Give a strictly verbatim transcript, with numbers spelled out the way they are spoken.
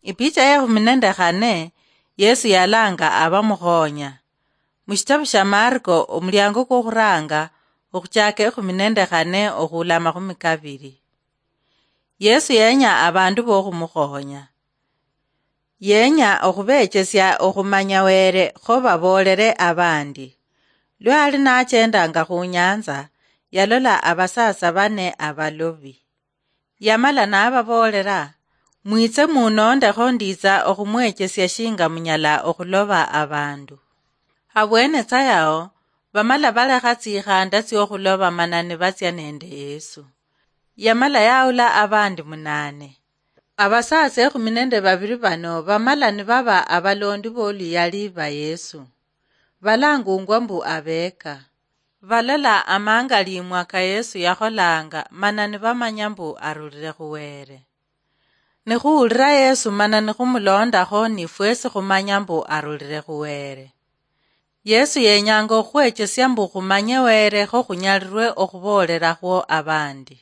Ipicha ya ekhumi nende khane, Yesu yalanga abamukhonya. Mushitabu sha Marko, omuliango kwokhuranga, okhuchaka ekhumi nende khane okhula amakhumi kabiri. Yesu yenya abandu bokhumukhonya. Yenya okhubechesia okhumanya Were kho baboolere abandi. Lwa ali nachendanga khu nyanza, yalola abasatsa bane abalobi. Yamala nababoolera, "Mwitse munondekho, nditsa okhumwechesia shinga munyala okhuloba abandu." Habwene tsa yao, bamala balekha tsikhanda tsiokhuloba mana nibatsia nende Yesu. Yamala yaula abandi munane. Abasatsa ekhumi nende babiri bano bamala nibaba abalondi boluyali ba Yesu. Balangungwa mbu abeka. Balola amangalimwa ka Yesu yakholanga, mana nibamanya mbu arulire khu Were. Nikhuwulira Yesu mana nikhumulondakho, nifwesi khumanya mbu arulire khu Were. Yesu yenyanga okhwechesia mbu khumanye Were kho khunyalirwe okhuboolerakho abandi.